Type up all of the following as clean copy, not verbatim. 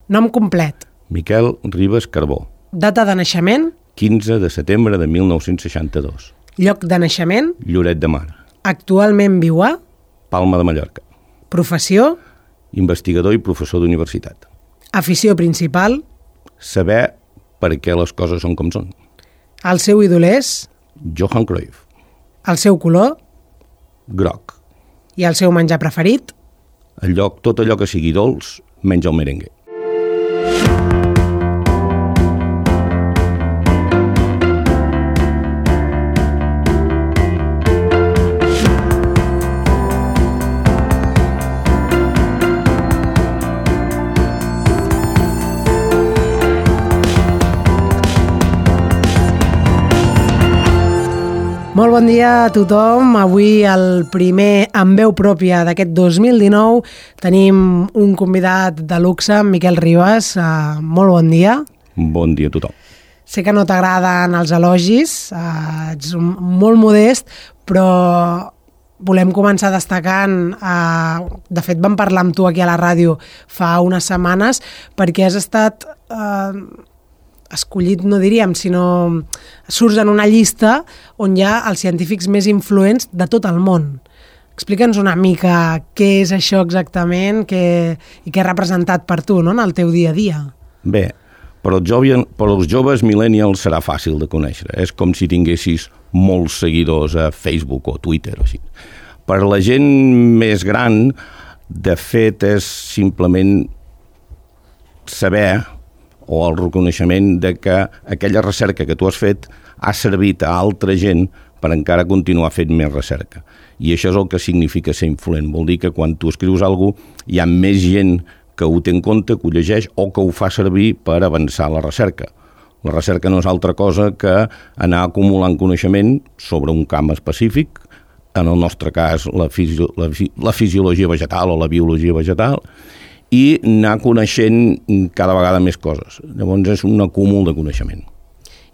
Nom complet. Miquel Ribas Carbó. Data de naixement. 15 de setembre de 1962. Lloc de naixement. Lloret de Mar. Actualment viu a... Palma de Mallorca. Professió. Investigador i professor d'universitat. Afició principal. Saber per què les coses són com són. El seu ídol és... Johan Cruyff. El seu color. Groc. I el seu menjar preferit? Tot allò que sigui dolç, menys el merengue. Molt bon dia a tothom. Avui, el primer amb veu pròpia d'aquest 2019, tenim un convidat de luxe, Miquel Ribas. Molt bon dia. Bon dia a tothom. Sé que no t'agraden els elogis, ets molt modest, però volem començar destacant, de fet vam parlar amb tu aquí a la ràdio fa unes setmanes, perquè has estat... escollit, no diríem, sinó surts en una llista on hi ha els científics més influents de tot el món. Explica'ns una mica què és això exactament i què ha representat per tu, no?, en el teu dia a dia. Bé, per als joves millennials serà fàcil de conèixer. És com si tinguessis molts seguidors a Facebook o Twitter o així. Per la gent més gran, de fet, és simplement saber o el reconeixement de que aquella recerca que tu has fet ha servit a altra gent per encara continuar fent més recerca. I això és el que significa ser influent. Vol dir que quan tu escrius alguna cosa hi ha més gent que ho té en compte, que ho llegeix o que ho fa servir per avançar la recerca. La recerca no és altra cosa que anar acumulant coneixement sobre un camp específic, en el nostre cas la fisiologia vegetal o la biologia vegetal, i anar coneixent cada vegada més coses. Llavors és un acúmul de coneixement.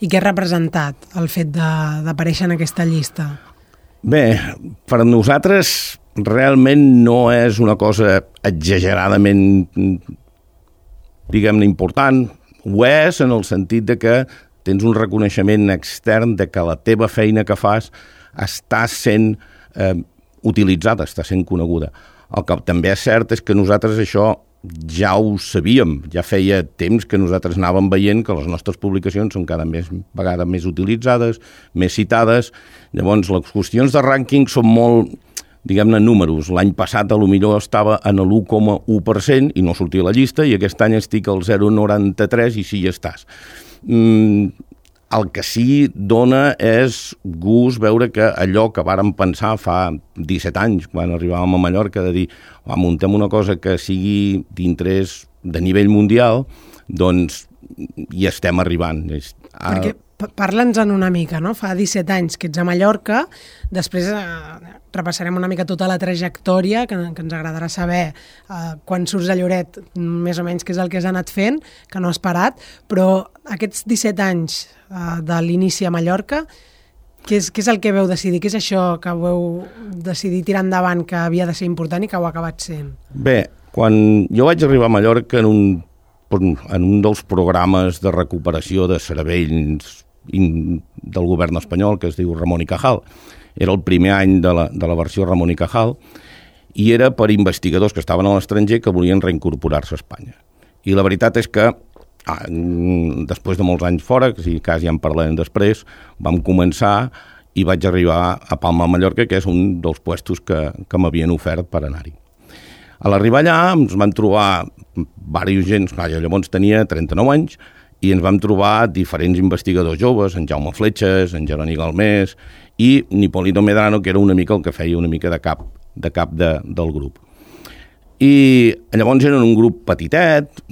I què ha representat el fet d'aparèixer en aquesta llista? Bé, per nosaltres realment no és una cosa exageradament, diguem-ne, important. Ho és en el sentit de que tens un reconeixement extern de que la teva feina que fas està sent utilitzada, està sent coneguda. El que també és cert és que nosaltres això ja ho sabíem, ja feia temps que nosaltres anàvem veient que les nostres publicacions són cada vegada més utilitzades, més citades. Llavors, les qüestions de rànquing són molt, diguem-ne, números. L'any passat, potser estava en l'1,1% i no sortia a la llista, i aquest any estic al 0,93% i sí hi estàs. El que sí dona és gust veure que allò que vàrem pensar fa 17 anys, quan arribàvem a Mallorca, de dir, muntem una cosa que sigui d'interès de nivell mundial, doncs hi estem arribant. Perquè parla'ns-en una mica, no? Fa 17 anys que ets a Mallorca, després repassarem una mica tota la trajectòria, que ens agradarà saber quan surts a Lloret, més o menys què és el que has anat fent, que no has parat, però aquests 17 anys de l'inici a Mallorca, què és el que veu decidir? Què és això que veu decidir tirar endavant, que havia de ser important i que ho ha acabat sent? Bé, quan jo vaig arribar a Mallorca en un dels programes de recuperació de cervells del govern espanyol, que es diu Ramon y Cajal. Era el primer any de la versió Ramon y Cajal, i era per investigadors que estaven a l'estranger que volien reincorporar-se a Espanya. I la veritat és que després de molts anys fora, que quasi ja en parlarem després, vam començar i vaig arribar a Palma de Mallorca, que és un dels puestos que m'havien ofert per anar-hi. A l'arribar allà ens vam trobar diversos gent, jo llavors tenia 39 anys, i ens vam trobar diferents investigadors joves, en Jaume Fletxes, en Jeroni Galmés i Nipolino Medrano, que era una mica el que feia una mica de cap del grup. I llavors eren un grup petitet,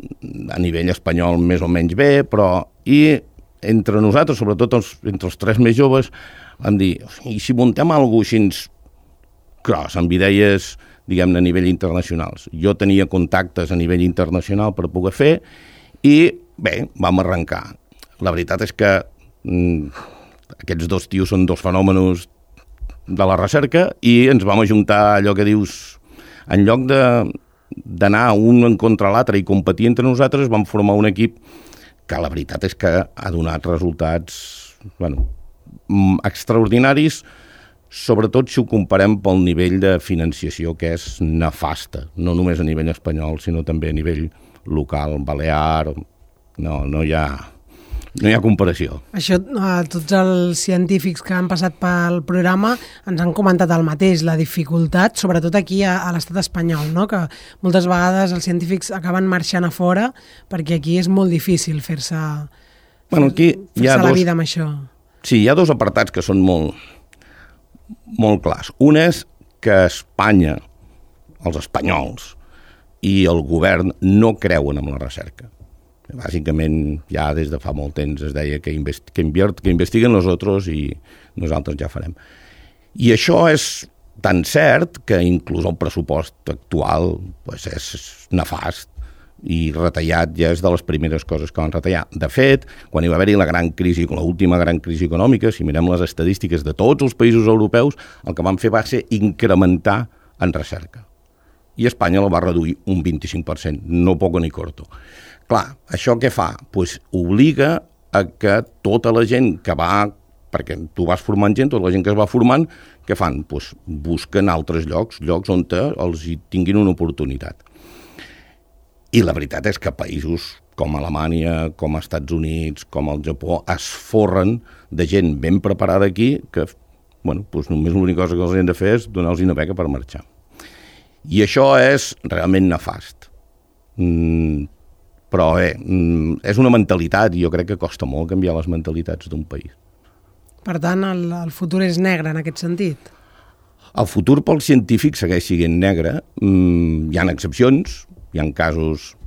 a nivell espanyol més o menys bé, però entre nosaltres, sobretot entre els tres més joves, vam dir, i si muntem alguna cosa així gros, amb idees, diguem-ne, a nivell internacionals. Jo tenia contactes a nivell internacional per poder fer i, bé, vam arrencar. La veritat és que aquests dos tios són dos fenòmenos de la recerca i ens vam ajuntar allò que dius, en lloc de d'anar un en contra l'altre i competir entre nosaltres, vam formar un equip que la veritat és que ha donat resultats extraordinaris, sobretot si ho comparem pel nivell de financiació, que és nefasta, no només a nivell espanyol, sinó també a nivell local, balear. No hi ha comparació. Això, tots els científics que han passat pel programa ens han comentat el mateix, la dificultat, sobretot aquí a l'estat espanyol, no? Que moltes vegades els científics acaben marxant a fora perquè aquí és molt difícil fer-se la vida amb això. Sí, hi ha dos apartats que són molt clars. Un és que Espanya, els espanyols i el govern no creuen en la recerca. Bàsicament, ja des de fa molt temps es deia que investiguen nosaltres i nosaltres ja farem. I això és tan cert que inclús el pressupost actual és nefast i retallat ja és de les primeres coses que van retallar. De fet, quan hi va haver-hi l'última gran crisi econòmica, si mirem les estadístiques de tots els països europeus, el que van fer va ser incrementar en recerca. I Espanya la va reduir un 25%, no poco ni corto. Clar, això què fa? Pues obliga a que tota la gent que va, perquè tu vas formant gent, tota la gent que es va formant, què fan? Pues busquen altres llocs on els hi tinguin una oportunitat. I la veritat és que països com Alemanya, com Estats Units, com el Japó, es forren de gent ben preparada aquí que, pues només l'única cosa que els hem de fer és donar-los una beca per marxar. I això és realment nefast. Però és una mentalitat i jo crec que costa molt canviar les mentalitats d'un país. Per tant, el futur és negre en aquest sentit? El futur pels científics segueix sent negre. Hi ha excepcions, hi ha casos...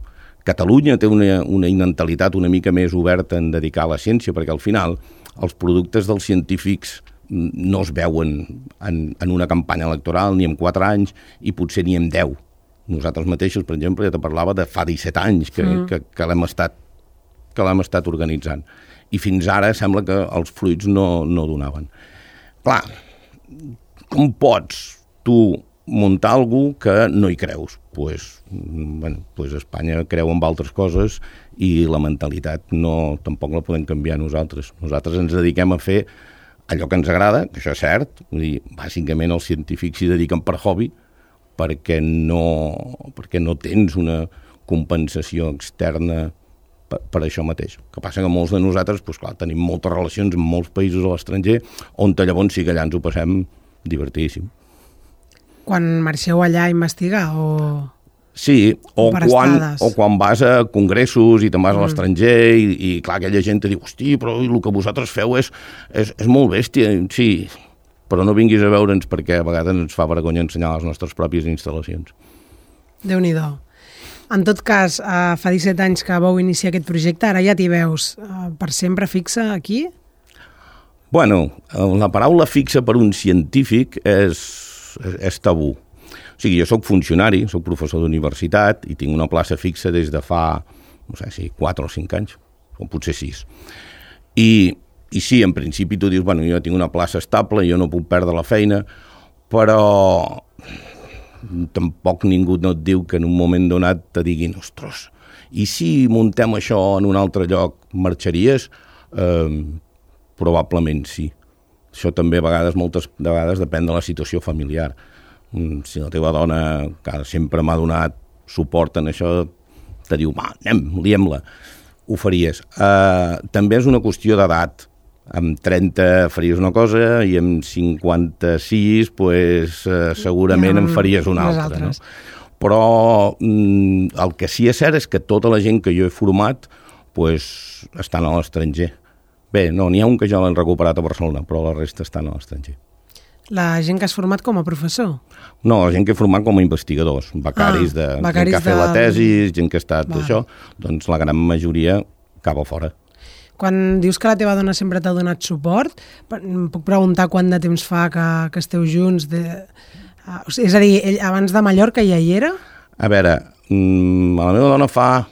Catalunya té una mentalitat una mica més oberta en dedicar a la ciència, perquè al final els productes dels científics no es veuen en una campanya electoral ni en 4 anys i potser ni en 10. Nosaltres mateixos, per exemple, ja te parlava de fa 17 anys que l'hem estat organitzant. I fins ara sembla que els fruits no donaven. Clar, com pots tu muntar alguna que no hi creus? Pues Espanya creu en altres coses i la mentalitat tampoc la podem canviar nosaltres. Nosaltres ens dediquem a fer allò que ens agrada, que això és cert, vull dir, bàsicament els científics s'hi dediquen per hobby, perquè no tens una compensació externa per això mateix. El que passa que molts de nosaltres tenim moltes relacions amb molts països a l'estranger, on llavors sí que allà ens ho passem divertidíssim. Quan marxeu allà a investigar o... Sí, o quan vas a congressos i te'n vas a l'estranger i clar, aquella gent te diu, hosti, però el que vosaltres feu és molt bèstia. Sí, però no vinguis a veure'ns perquè a vegades ens fa vergonya ensenyar les nostres pròpies instal·lacions. Déu-n'hi-do. En tot cas, fa 17 anys que vau iniciar aquest projecte, ara ja t'hi veus per sempre fixa aquí? La paraula fixa per un científic és tabú. O sigui, jo soc funcionari, soc professor d'universitat i tinc una plaça fixa des de fa, 4 o 5 anys, o potser 6. I sí, en principi tu dius, jo tinc una plaça estable, jo no puc perdre la feina, però tampoc ningú no et diu que en un moment donat te diguin, ostres, i si muntem això en un altre lloc, marxaries? Probablement sí. Això també moltes vegades depèn de la situació familiar. Si la teva dona, que sempre m'ha donat suport en això, te diu, liem-la, ho faries. També és una qüestió d'edat. Amb 30 faries una cosa i amb 56 segurament en faries una altra. No? Però el que sí és cert és que tota la gent que jo he format estan a l'estranger. Bé, n'hi ha un que ja l'han recuperat a Barcelona, però la resta estan a l'estranger. La gent que has format com a professor? No, la gent que he format com a investigadors, becaris, gent que ha fet la tesi, gent que ha estat això, doncs la gran majoria acaba fora. Quan dius que la teva dona sempre t'ha donat suport, puc preguntar quant de temps fa que esteu junts? És a dir, ell abans de Mallorca ja hi era? A veure, la meva dona fa,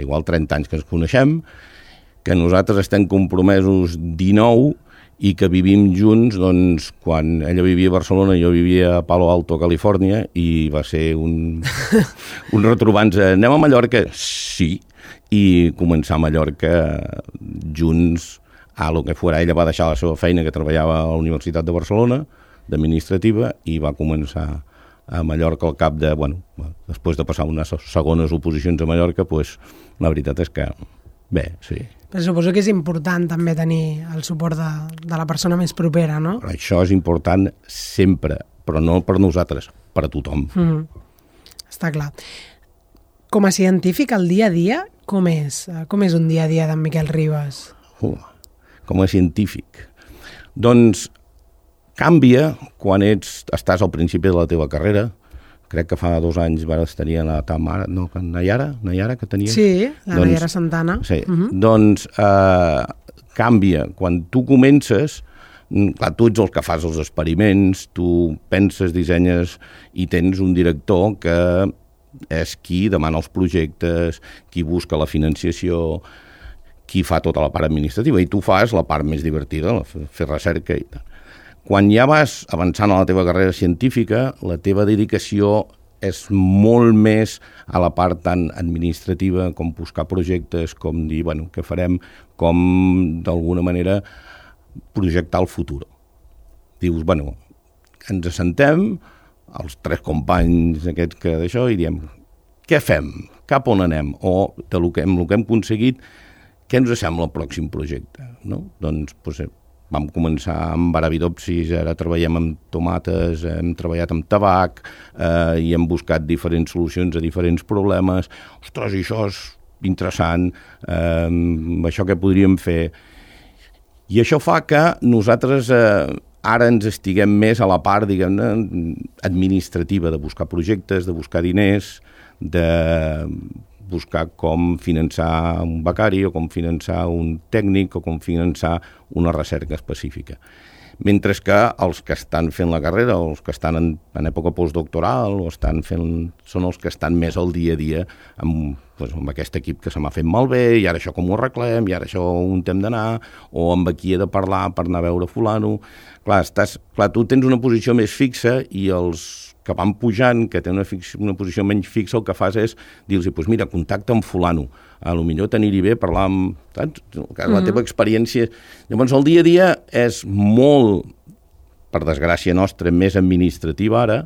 igual 30 anys que ens coneixem, que nosaltres estem compromesos 19 i que vivim junts, doncs, quan ella vivia a Barcelona i jo vivia a Palo Alto, Califòrnia, i va ser un retrobar-nos. Anem a Mallorca? Sí, i començar a Mallorca junts a lo que fora. Ella va deixar la seva feina, que treballava a la Universitat de Barcelona, d'administrativa, i va començar a Mallorca al cap de, després de passar unes segones oposicions a Mallorca, doncs la veritat és que, bé, sí. Però suposo que és important també tenir el suport de la persona més propera, no? Això és important sempre, però no per nosaltres, per a tothom. Està clar. Com a científic, el dia a dia, com és? Com és un dia a dia d'en Miquel Ribas? Com a científic. Doncs canvia quan estàs al principi de la teva carrera. Crec que fa 2 anys vas tenir la Tamara, no, Nayara, que tenies? Sí, la Nayara Santana. Sí, doncs canvia. Quan tu comences, clar, tu ets el que fas els experiments, tu penses, dissenyes i tens un director que és qui demana els projectes, qui busca la financiació, qui fa tota la part administrativa, i tu fas la part més divertida, fer recerca i tal. Quan ja vas avançant a la teva carrera científica, la teva dedicació és molt més a la part tan administrativa, com buscar projectes, com dir, què farem, com d'alguna manera projectar el futur. Dius, ens assentem, els 3 companys aquests que d'això, i diem, què fem? Cap on anem? O de lo que hem aconseguit, què ens sembla el pròxim projecte? No? Doncs, vam començar amb arabidopsis, ara treballem amb tomates, hem treballat amb tabac i hem buscat diferents solucions a diferents problemes. Ostres, i això és interessant, això què podríem fer? I això fa que nosaltres ara ens estiguem més a la part, diguem-ne, administrativa, de buscar projectes, de buscar diners, de buscar com finançar un becari o com finançar un tècnic o com finançar una recerca específica. Mentre que els que estan fent la carrera o els que estan en època postdoctoral són els que estan més al dia a dia amb aquest equip que se m'ha fet malbé i ara això com ho arreglem i ara això on hem d'anar o amb qui he de parlar per anar a veure fulano. Clar, tu tens una posició més fixa i els que van pujant, que tenen una posició menys fixa, el que fas és dir-los, mira, contacta amb fulano, a lo millor t'anirà bé parlar amb, saps? La teva experiència. Llavors, el dia a dia és molt, per desgràcia nostra, més administrativa ara,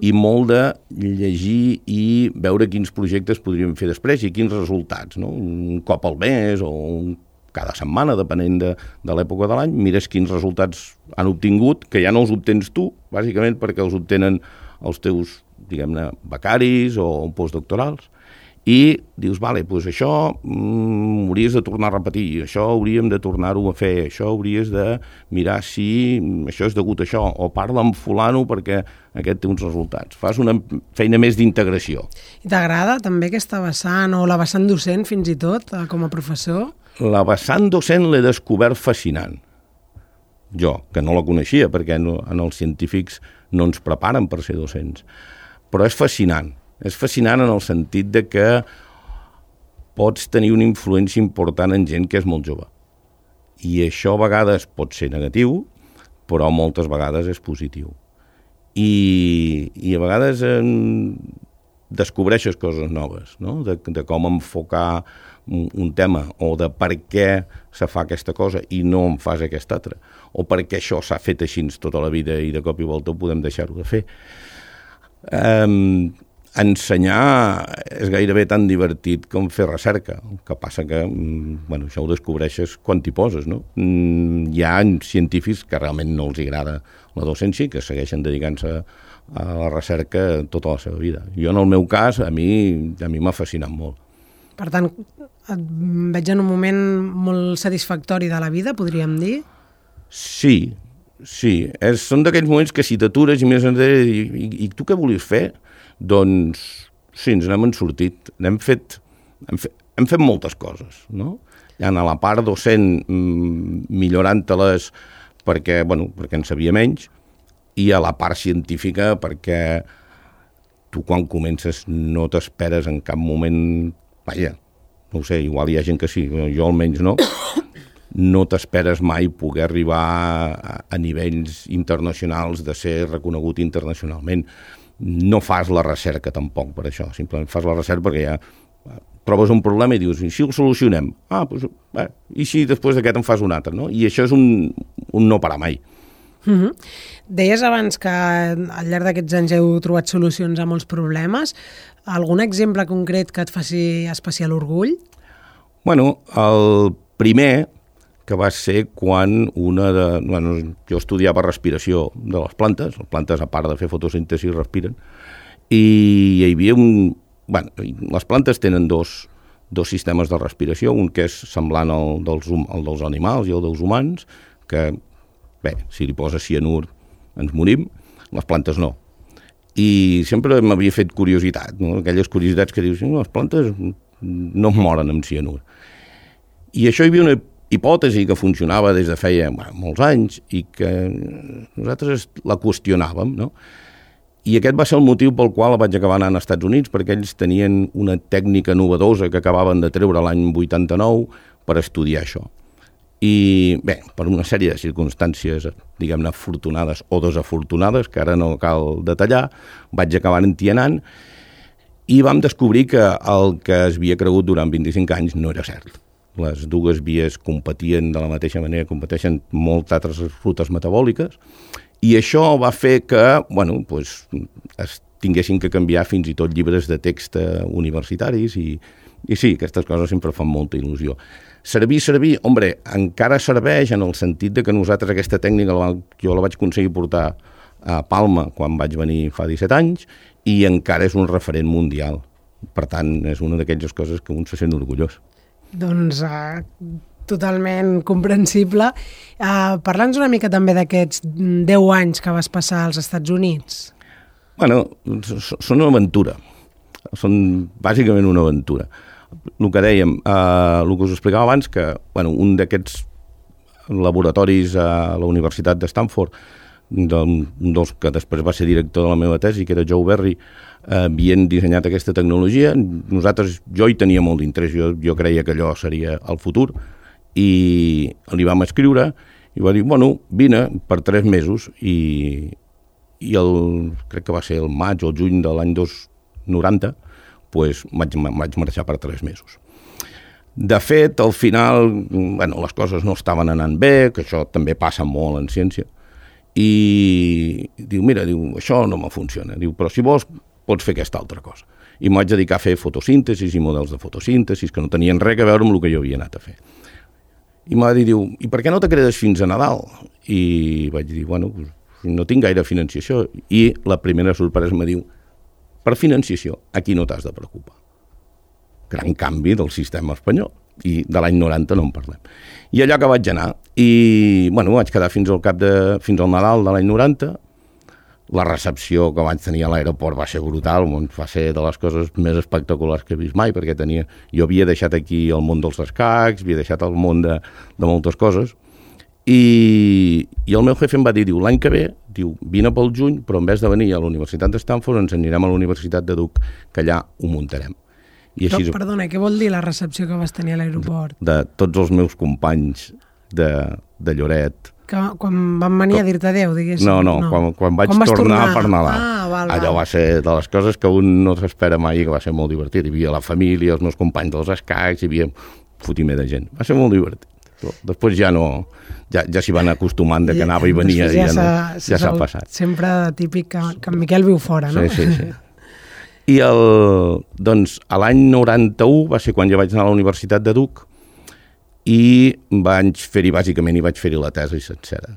i molt de llegir i veure quins projectes podríem fer després i quins resultats, no? Un cop al mes o cada setmana, depenent de l'època de l'any, mires quins resultats han obtingut, que ja no els obtens tu, bàsicament perquè els obtenen els teus, diguem-ne, becaris o postdoctorals, i dius, això hauries de tornar a repetir, això hauríem de tornar-ho a fer, això hauries de mirar si això és degut a això, o parla amb fulano perquè aquest té uns resultats. Fas una feina més d'integració. I t'agrada també aquesta vessant, o la vessant docent fins i tot, com a professor? La vessant docent l'he descobert fascinant. Jo, que no la coneixia, perquè en els científics no ens preparen per ser docents. Però és fascinant. És fascinant en el sentit de que pots tenir una influència important en gent que és molt jove. I això a vegades pot ser negatiu, però moltes vegades és positiu. I a vegades descobreixes coses noves, no? De com enfocar un tema, o de per què se fa aquesta cosa i no en fas aquesta altra, o per què això s'ha fet així tota la vida i de cop i volta ho podem deixar-ho de fer. Ensenyar és gairebé tan divertit com fer recerca, el que passa que això ho descobreixes quan t'hi poses, no? Hi ha científics que realment no els agrada la docència i que segueixen dedicant-se a la recerca tota la seva vida. Jo, en el meu cas, a mi m'ha fascinat molt. Per tant, et veig en un moment molt satisfactori de la vida, podríem dir? Sí. Són d'aquells moments que si t'atures i més enrere i tu què volies fer? Doncs sí, ens n'hem sortit. Hem fet moltes coses, no? Ja a la part docent millorant-te-les perquè en sabia menys, i a la part científica perquè tu quan comences no t'esperes en cap moment, no ho sé, igual hi ha gent que sí, jo almenys no, no t'esperes mai poder arribar a nivells internacionals de ser reconegut internacionalment. No fas la recerca tampoc per això, simplement fas la recerca perquè ja trobes un problema i dius, i si el solucionem? I si després d'aquest en fas un altre, no? I això és un no parar mai. Deies abans que al llarg d'aquests anys heu trobat solucions a molts problemes. Algun exemple concret que et faci especial orgull? Bueno, el primer que va ser quan jo estudiava respiració de les plantes a part de fer fotosíntesi respiren, i hi havia les plantes tenen dos sistemes de respiració, un que és semblant al dels animals i al dels humans, que, si li poses cianur ens morim, les plantes no. I sempre m'havia fet curiositat, no? Aquelles curiositats que dius, les plantes no moren amb cianur. I això hi havia una hipòtesi que funcionava des de feia molts anys i que nosaltres la qüestionàvem, no? I aquest va ser el motiu pel qual vaig acabar anant als Estats Units, perquè ells tenien una tècnica novedosa que acabaven de treure l'any 89 per estudiar això. I bé, per una sèrie de circumstàncies, diguem-ne, afortunades o desafortunades, que ara no cal detallar, vaig acabar entienant i vam descobrir que el que es havia cregut durant 25 anys no era cert. Les dues vies competien de la mateixa manera, competeixen moltes altres rutes metabòliques, i això va fer que, es tinguessin que canviar fins i tot llibres de text universitaris, i sí, aquestes coses sempre fan molta il·lusió. Servir, encara serveix en el sentit de que nosaltres aquesta tècnica jo la vaig aconseguir portar a Palma quan vaig venir fa 17 anys, i encara és un referent mundial. Per tant, és una d'aquelles coses que un se sent orgullós. Doncs totalment comprensible. Parla'ns una mica també d'aquests 10 anys que vas passar als Estats Units. Són una aventura. Són bàsicament una aventura. El que dèiem, el que us explicava abans, que un d'aquests laboratoris a la Universitat de Stanford, un dels que després va ser director de la meva tesi, que era Joe Berry, havien dissenyat aquesta tecnologia. Jo hi tenia molt d'interès, jo creia que allò seria el futur, i li vam escriure i va dir, vine per 3 mesos, i crec que va ser el maig o el juny de l'any 90, vaig marxar per 3 mesos. De fet, al final, les coses no estaven anant bé, que això també passa molt en ciència, i diu, això no me funciona, però si vols pots fer aquesta altra cosa. I em vaig dedicar a fer fotosíntesis i models de fotosíntesis que no tenien res a veure amb el que jo havia anat a fer. I em va dir, i per què no te quedes fins a Nadal? I vaig dir, no tinc gaire financiació. I la primera sorpresa em diu, per financiació, aquí no t'has de preocupar. Gran canvi del sistema espanyol. I de l'any 90 no en parlem. I allà que vaig anar, i vaig quedar fins al Nadal de l'any 90. La recepció que vaig tenir a l'aeroport va ser brutal, va ser de les coses més espectaculars que he vist mai, perquè jo havia deixat aquí el món dels escacs, havia deixat el món de moltes coses, i el meu jefe em va dir, l'any que ve, vine pel juny, però en vez de venir a la Universitat de Stanford ens anirem a la Universitat de Duke, que allà ho muntarem. Perdona, què vol dir la recepció que vas tenir a l'aeroport? De tots els meus companys de Lloret. Quan van venir a dir-te adéu, diguéssim? No. Quan vaig tornar per Nadal. Val. Allò va ser de les coses que un no s'espera mai, que va ser molt divertit. Hi havia la família, els meus companys dels escacs, hi havia fotimer de gent. Va ser molt divertit. Però després ja no, ja s'hi van acostumant de que anava i venia, i ja s'ha passat. Sempre típic que en Miquel viu fora, no? Sí. I a l'any 91 va ser quan ja vaig anar a la Universitat de Duke, i vaig fer-hi la tesi sencera.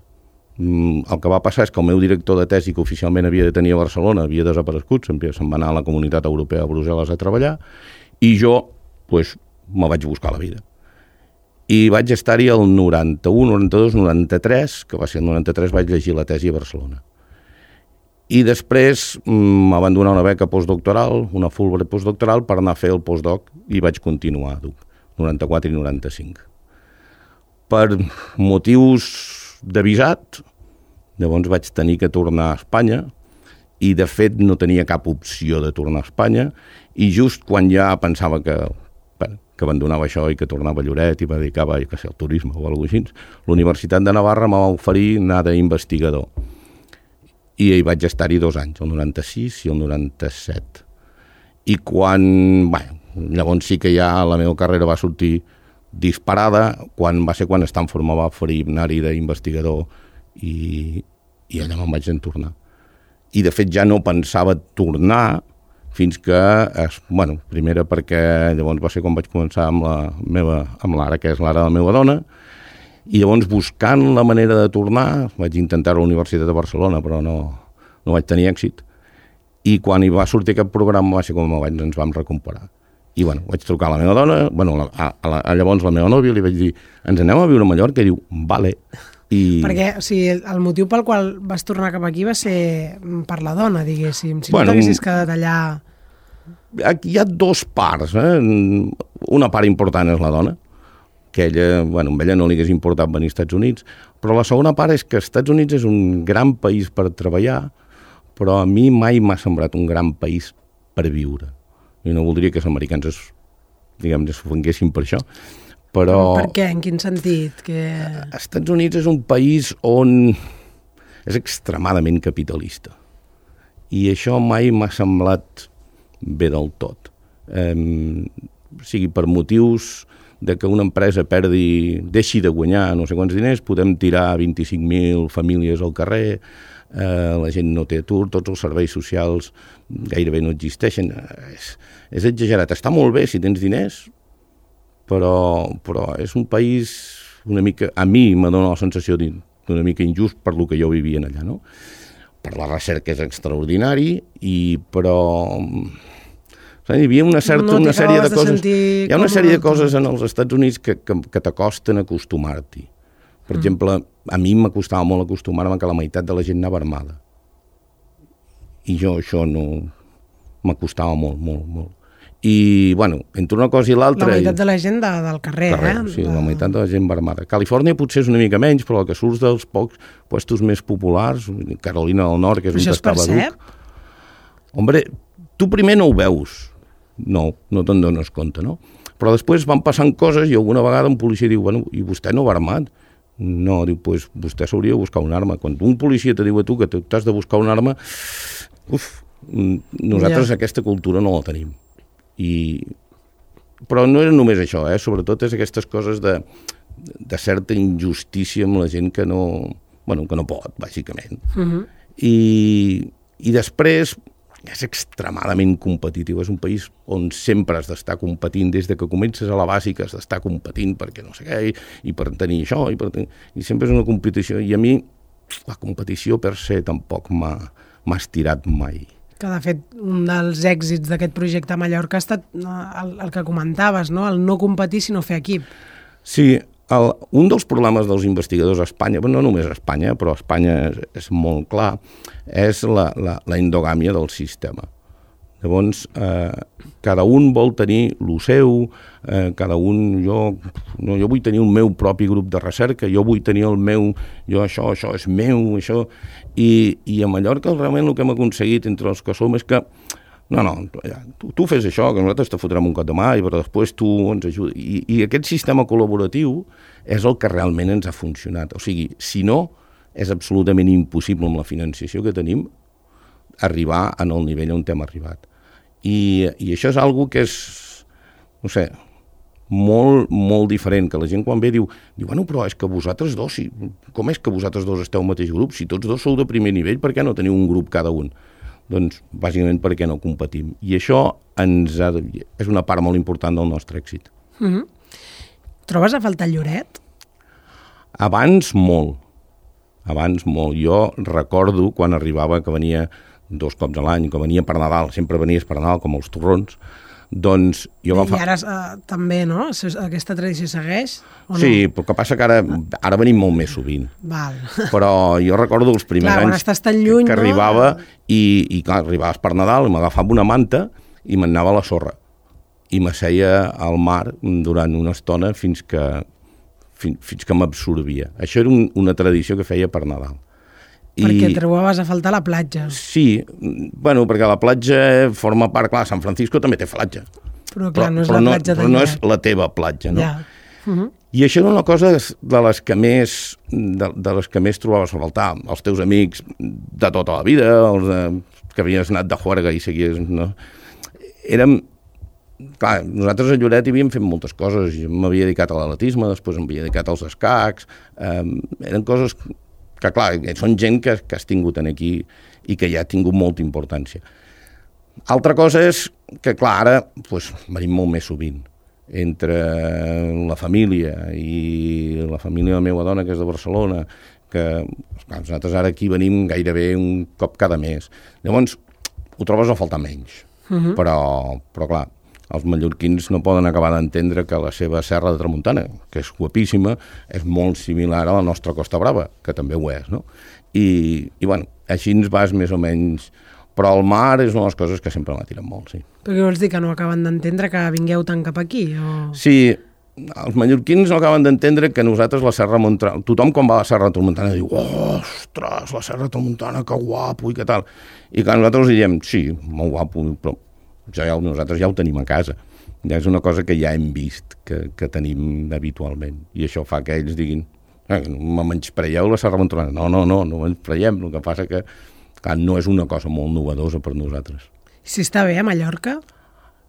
El que va passar és que el meu director de tesi, que oficialment havia de tenir a Barcelona, havia desaparegut, se'n va anar a la Comunitat Europea a Brussel·les a treballar, i jo me vaig buscar la vida. I vaig estar-hi el 91, 92, 93, que va ser el 93, vaig llegir la tesi a Barcelona. I després em van donar una beca postdoctoral, una Fulbright postdoctoral, per anar a fer el postdoc, i vaig continuar a Duke, 94 i 95. Per motius de visat, llavors vaig tenir que tornar a Espanya, i de fet no tenia cap opció de tornar a Espanya, i just quan ja pensava que que abandonava això i que tornava a Lloret i me dedicava al turisme o alguna cosa així, l'Universitat de Navarra m'ha oferir anar d'investigador. I hi vaig estar-hi 2 anys, el 96 i el 97. I quan... llavors sí que ja la meva carrera va sortir disparada, va ser quan Stanford me va oferir anar-hi d'investigador i allà me'n vaig tornar. I de fet ja no pensava tornar fins que, primera perquè llavors va ser quan vaig començar amb l'Ara, que és l'Ara de la meva dona, i llavors buscant la manera de tornar, vaig intentar a la Universitat de Barcelona, però no vaig tenir èxit, i quan hi va sortir aquest programa va ser quan ens vam recuperar. I vaig trucar a la meva dona, llavors la meva nòvia, li vaig dir, ens anem a viure a Mallorca? I diu, vale. Perquè el motiu pel qual vas tornar cap aquí va ser per la dona, diguéssim. Si no t'haguessis quedat allà... Hi ha 2 parts. Una part important és la dona, que amb ella no li hagués importat venir als Estats Units, però la segona part és que els Estats Units és un gran país per treballar, però a mi mai m'ha semblat un gran país per viure. I no voldria que els americans es ofenguessin per això. Però... Per què? En quin sentit? Els Estats Units és un país on és extremadament capitalista. I això mai m'ha semblat bé del tot. Sigui per motius de que una empresa deixi de guanyar no sé quants diners, podem tirar 25.000 famílies al carrer, la gent no té atur, tots els serveis socials gairebé no existeixen. És exagerat. Està molt bé si tens diners, però és un país una mica, a mi m'ha donat la sensació d'una mica injust per lo que jo vivia allà, no? Per la recerca és extraordinari, però hi havia una sèrie de coses. Hi ha una sèrie de coses en els Estats Units que t'acosten a acostumar-t'hi. Per exemple, a mi m'acostava molt acostumar-me que la meitat de la gent anava armada. I jo això no m'acostava molt, molt, molt. I, entre una cosa i l'altra... La meitat de la gent del carrer, Sí, la meitat de la gent va armada. Califòrnia potser és una mica menys, però el que surts dels pocs puestos més populars, Carolina del Nord, que és on estava Duke... Hombre, tu primer no ho veus. No te'n dones compte, no? Però després van passant coses i alguna vegada un policia diu, i vostè no va armat? No, diu, doncs vostè s'hauria de buscar una arma. Quan un policia te diu a tu que t'has de buscar una arma, nosaltres aquesta cultura no la tenim. Però no és només això, sobretot és aquestes coses de certa injustícia amb la gent que no pot, bàsicament. I després és extremadament competitiu, és un país on sempre has d'estar competint, des de que comences a la bàsica has d'estar competint perquè no sé què, i per tenir això, i sempre és una competició, i a mi la competició per se tampoc m'ha estirat mai. Que, de fet, un dels èxits d'aquest projecte a Mallorca ha estat el que comentaves, no? El no competir, sinó fer equip. Sí, un dels problemes dels investigadors a Espanya, no només a Espanya, però a Espanya és molt clar, és la endogàmia del sistema. Llavors, cada un vol tenir el seu, jo vull tenir el meu propi grup de recerca, jo vull tenir el meu, això és meu, això... I a Mallorca realment el que hem aconseguit entre els que som és que tu fes això, que nosaltres te fotrem un cop de mà, però després tu ens ajudes. I aquest sistema col·laboratiu és el que realment ens ha funcionat. O sigui, si no, és absolutament impossible amb la financiació que tenim arribar en el nivell on hem arribat. I això és algo que és, no sé, molt, molt diferent, que la gent quan ve diu, però és que vosaltres dos, com és que vosaltres dos esteu al mateix grup? Si tots dos sou de primer nivell, per què no teniu un grup cada un? Doncs, bàsicament, perquè no competim. I això és una part molt important del nostre èxit. Trobes a faltar Lloret? Abans molt. Jo recordo quan arribava, que venia 2 cops a l'any, que venia per Nadal, sempre venies per Nadal, com els torrons, doncs jo I ara també, no? Aquesta tradició segueix? Sí, però el que passa que ara venim molt més sovint. Val. Però jo recordo els primers anys estàs tan lluny, que arribava i clar, arribaves per Nadal i m'agafava una manta i m'anava a la sorra i m'asseia al mar durant una estona fins que m'absorbia. Això era una tradició que feia per Nadal. Perquè trobaves a faltar la platja. Sí, perquè la platja forma part, clar, San Francisco també té platja. Però clar, no és la platja de Lloret. Però no és la teva platja, no? Ja. I això era una cosa de les que més trobaves a faltar. Els teus amics de tota la vida, que havies anat de juerga i seguies... No? Clar, nosaltres a Lloret hi havíem fet moltes coses. Jo m'havia dedicat a l'atletisme, després m'havia dedicat als escacs. Eren coses que, clar, són gent que has tingut aquí i que ja ha tingut molta importància. Altra cosa és que, clar, ara venim molt més sovint entre la família i la família de la meva dona, que és de Barcelona, que clar, nosaltres ara aquí venim gairebé un cop cada mes. Llavors, ho trobes a faltar menys. Però clar, els mallorquins no poden acabar d'entendre que la seva Serra de Tramuntana, que és guapíssima, és molt similar a la nostra Costa Brava, que també ho és, no? I bueno, així ens vas més o menys... Però el mar és una de les coses que sempre m'atiren molt, sí. Però què vols dir, que no acaben d'entendre que vingueu tant cap aquí? O... Sí, els mallorquins no acaben d'entendre que nosaltres la Serra Tramuntana... Tothom quan va a la Serra Tramuntana diu ostres, la Serra Tramuntana, que guapo i què tal. I que nosaltres els diem, sí, molt guapo, però nosaltres ja ho tenim a casa. Ja és una cosa que ja hem vist, que tenim habitualment. I això fa que ells diguin, me menyspreieu la Serra Tramuntana. No menyspreiem, el que passa que clar, no és una cosa molt novedosa per nosaltres. Si està bé a Mallorca?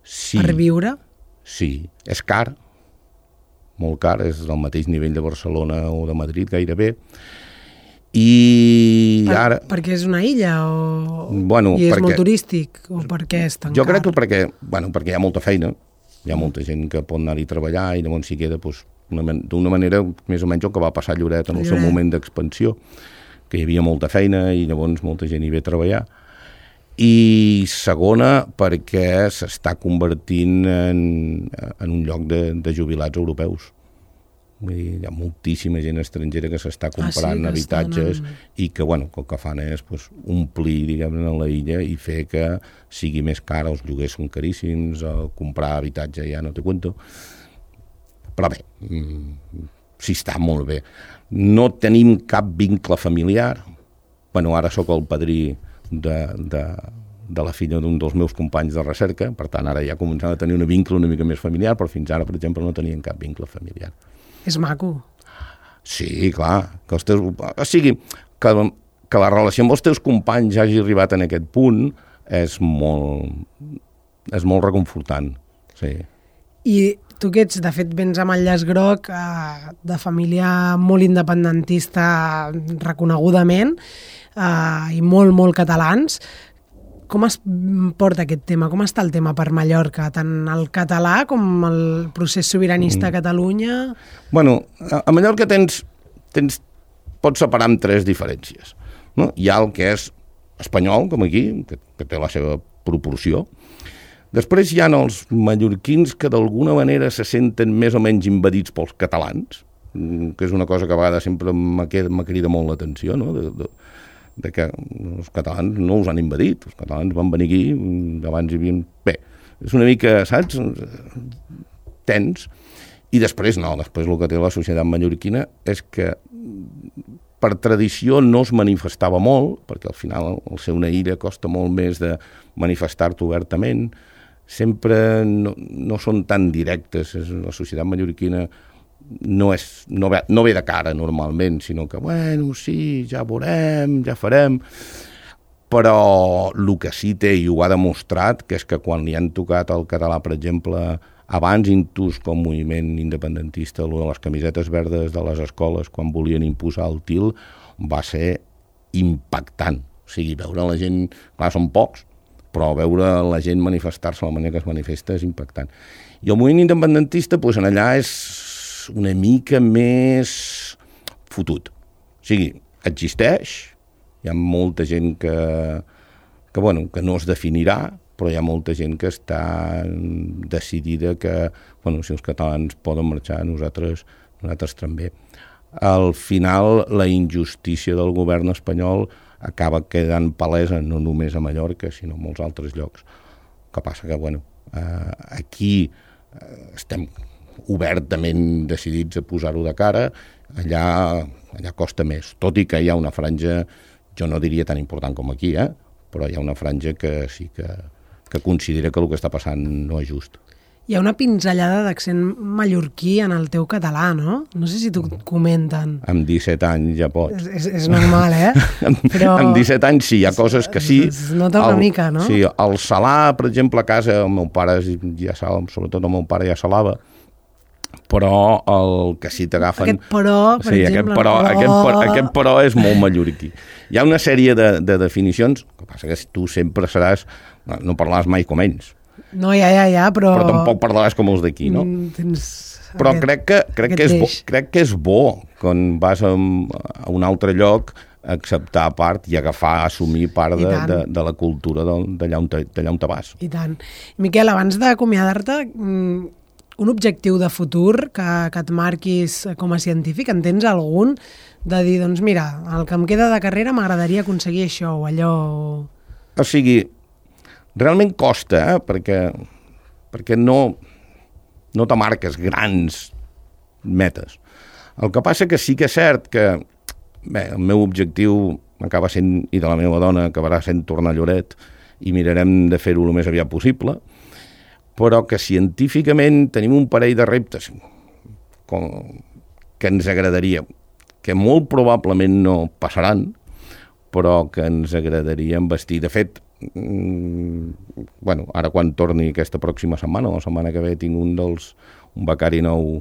Sí. Per viure? Sí. És car, molt car, és del mateix nivell de Barcelona o de Madrid gairebé. I ara... Perquè és una illa o... Bueno, i és molt turístic? O per què és tan car? Jo crec que perquè hi ha molta feina, hi ha molta gent que pot anar-hi a treballar i llavors s'hi queda d'una manera més o menys el que va passar a Lloret en el seu moment d'expansió, que hi havia molta feina i llavors molta gent hi ve a treballar. I segona, perquè s'està convertint en un lloc de jubilats europeus. Vull dir, hi ha moltíssima gent estrangera que s'està comprant habitatges i que, bueno, el que fan és omplir, diguem-ne, la illa i fer que sigui més car, els lloguers són caríssims, comprar habitatge ja no te cuento. Però bé, sí està molt bé. No tenim cap vincle familiar. Bueno, ara sóc el padrí de la filla d'un dels meus companys de recerca, per tant, ara ja començant a tenir un vincle una mica més familiar, però fins ara, per exemple, no tenien cap vincle familiar. És maco. Sí, clar. Que o sigui, que la relació amb els teus companys hagi arribat en aquest punt és molt reconfortant. Sí. I tu que ets, de fet, vens amb el llaç groc de família molt independentista reconegudament i molt, molt catalans. Com es porta aquest tema? Com està el tema per Mallorca? Tant el català com el procés sobiranista a Catalunya? Bueno, a Mallorca pots separar amb tres diferències. No? Hi ha el que és espanyol, com aquí, que té la seva proporció. Després hi ha els mallorquins que d'alguna manera se senten més o menys invadits pels catalans, que és una cosa que a vegades sempre m'ha molt l'atenció, no? De que els catalans no us han invadit, els catalans van venir aquí, abans hi havia... Bé, és una mica, saps? Tens. I després no, després el que té la societat mallorquina és que per tradició no es manifestava molt, perquè al final el ser una illa costa molt més de manifestar-te obertament, sempre no són tan directes. La societat mallorquina no ve de cara normalment, sinó que, bueno, sí, ja veurem, ja farem. Però el que sí té, i ho ha demostrat, que és que quan li han tocat el català, per exemple, abans Intus com moviment independentista, de les camisetes verdes de les escoles, quan volien imposar el TIL, va ser impactant. O sigui, veure la gent... Clar, són pocs, però veure la gent manifestar-se de la manera que es manifesta és impactant. I el moviment independentista, doncs, en allà és una mica més fotut. O sigui, existeix, hi ha molta gent que no es definirà, però hi ha molta gent que està decidida que, bueno, si els catalans poden marxar, nosaltres també. Al final, la injustícia del govern espanyol acaba quedant palesa no només a Mallorca, sinó a molts altres llocs. El que passa que, bueno, aquí estem obertament decidits a posar-ho de cara, allà costa més, tot i que hi ha una franja, jo no diria tan important com aquí, però hi ha una franja que sí que considera que el que està passant no és just. Hi ha una pinzellada d'accent mallorquí en el teu català, no? No sé si t'ho comenten. Amb 17 anys ja pots. És normal, Però... Amb 17 anys sí, hi ha coses que sí. Es nota una mica, no? Sí, el salar, per exemple, a casa, el meu pare ja sala, sobretot el meu pare ja salava, però el que sí t'agafen... Aquest però, per exemple... Aquest però és molt mallorquí. Hi ha una sèrie de definicions, el que passa que tu sempre seràs... No parlaràs mai com ells. No, ja, però... Però tampoc parlaràs com els d'aquí, no? Però crec que és bo quan vas a un altre lloc acceptar part i agafar, assumir part de la cultura d'allà on te vas. I tant. Miquel, abans d'acomiadar-te, un objectiu de futur que et marquis com a científic, en tens algun de dir, doncs mira, el que em queda de carrera m'agradaria aconseguir això o allò... O sigui, realment costa, perquè no te marques grans metes. El que passa que sí que és cert que el meu objectiu acaba sent, i de la meva dona acabarà sent tornar a Lloret, i mirarem de fer-ho el més aviat possible, però que científicament tenim un parell de reptes que ens agradaria, que molt probablement no passaran, però que ens agradaria investir. De fet, ara quan torni aquesta pròxima setmana, o la setmana que ve, tinc un becari nou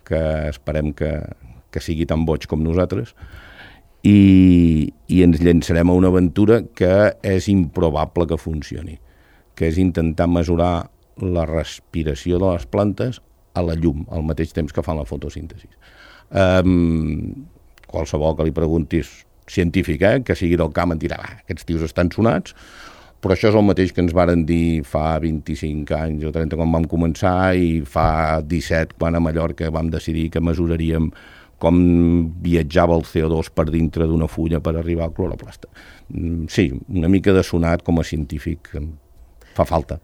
que esperem que sigui tan boig com nosaltres, i ens llançarem a una aventura que és improbable que funcioni, que és intentar mesurar la respiració de les plantes a la llum, al mateix temps que fan la fotosíntesi. Qualsevol que li preguntis científic, que sigui del camp, et dirà, aquests tios estan sonats, però això és el mateix que ens varen dir fa 25 anys o 30 quan vam començar i fa 17 quan a Mallorca vam decidir que mesuraríem com viatjava el CO2 per dintre d'una fulla per arribar al cloroplast. Sí, una mica de sonat com a científic fa falta.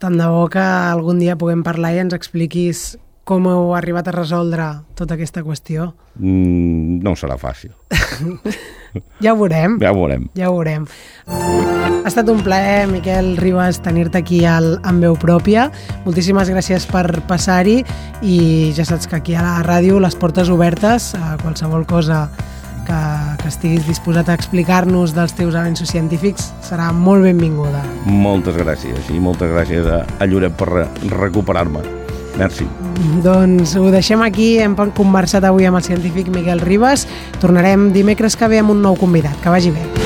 Tant de bo que algun dia puguem parlar i ens expliquis com heu arribat a resoldre tota aquesta qüestió. No serà fàcil. Ja ho veurem. Ja ho veurem. Ja ho veurem. Ha estat un plaer, Miquel Ribas, tenir-te aquí amb veu pròpia. Moltíssimes gràcies per passar-hi i ja saps que aquí a la ràdio les portes obertes a qualsevol cosa que estiguis disposat a explicar-nos dels teus avenços científics serà molt benvinguda. Moltes gràcies i moltes gràcies a Lloret per recuperar-me. Merci. Doncs ho deixem aquí, hem conversat avui amb el científic Miquel Ribas. Tornarem dimecres que ve amb un nou convidat. Que vagi bé.